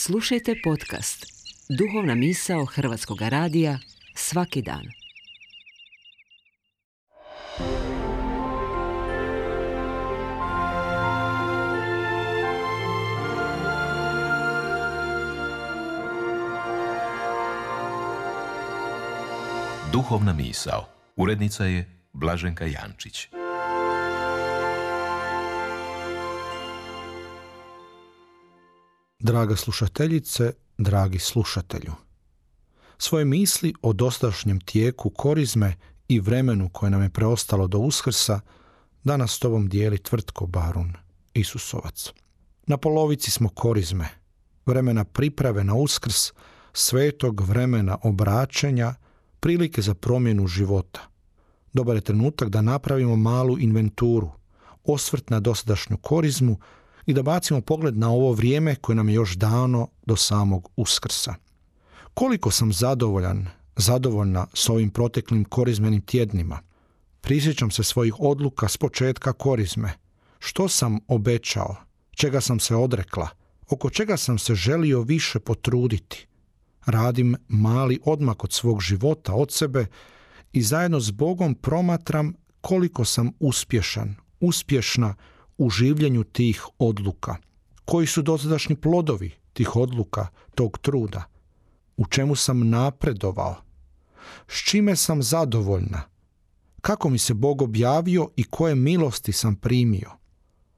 Slušajte podcast Duhovna misao Hrvatskog radija svaki dan. Duhovna misao. Urednica je Blaženka Jančić. Draga slušateljice, dragi slušatelju, svoje misli o dosadašnjem tijeku korizme i vremenu koje nam je preostalo do Uskrsa danas s tobom dijeli Tvrtko Barun, Isusovac. Na polovici smo korizme, vremena priprave na Uskrs, svetog vremena obraćenja, prilike za promjenu života. Dobar je trenutak da napravimo malu inventuru, osvrt na dosadašnju korizmu i da bacimo pogled na ovo vrijeme koje nam je još dano do samog Uskrsa. Koliko sam zadovoljna s ovim proteklim korizmenim tjednima. Prisjećam se svojih odluka s početka korizme. Što sam obećao, čega sam se odrekla, oko čega sam se želio više potruditi. Radim mali odmak od svog života, od sebe i zajedno s Bogom promatram koliko sam uspješna u življenju tih odluka. Koji su dosadašnji plodovi tih odluka, tog truda? U čemu sam napredovao? S čime sam zadovoljna? Kako mi se Bog objavio i koje milosti sam primio?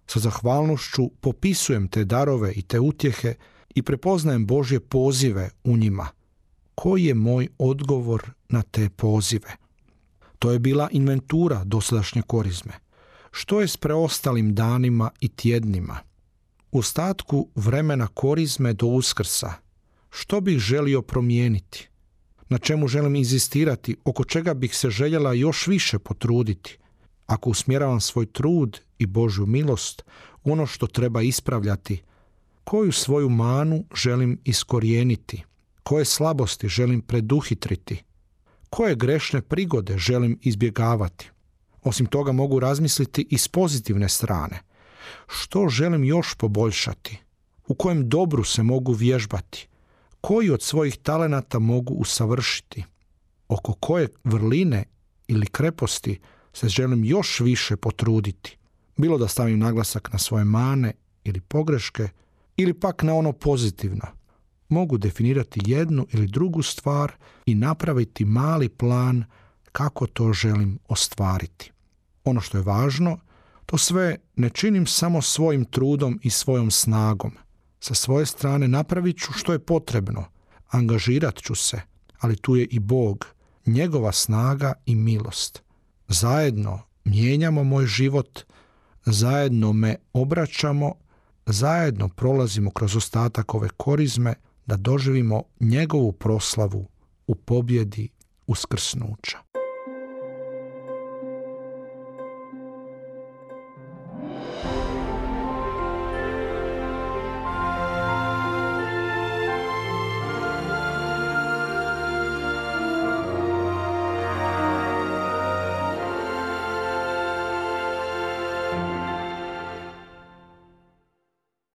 Sa zahvalnošću popisujem te darove i te utjehe i prepoznajem Božje pozive u njima. Koji je moj odgovor na te pozive? To je bila inventura dosadašnje korizme. Što je s preostalim danima i tjednima? U ostatku vremena korizme do Uskrsa, što bih želio promijeniti? Na čemu želim inzistirati? Oko čega bih se željela još više potruditi? Ako usmjeravam svoj trud i Božju milost, ono što treba ispravljati, koju svoju manu želim iskorijeniti? Koje slabosti želim preduhitriti? Koje grešne prigode želim izbjegavati? Osim toga mogu razmisliti i s pozitivne strane. Što želim još poboljšati? U kojem dobru se mogu vježbati? Koji od svojih talenata mogu usavršiti? Oko koje vrline ili kreposti se želim još više potruditi? Bilo da stavim naglasak na svoje mane ili pogreške ili pak na ono pozitivno. Mogu definirati jednu ili drugu stvar i napraviti mali plan kako to želim ostvariti. Ono što je važno, to sve ne činim samo svojim trudom i svojom snagom. Sa svoje strane napravit ću što je potrebno, angažirat ću se, ali tu je i Bog, njegova snaga i milost. Zajedno mijenjamo moj život, zajedno me obraćamo, zajedno prolazimo kroz ostatak ove korizme da doživimo njegovu proslavu u pobjedi uskrsnuća.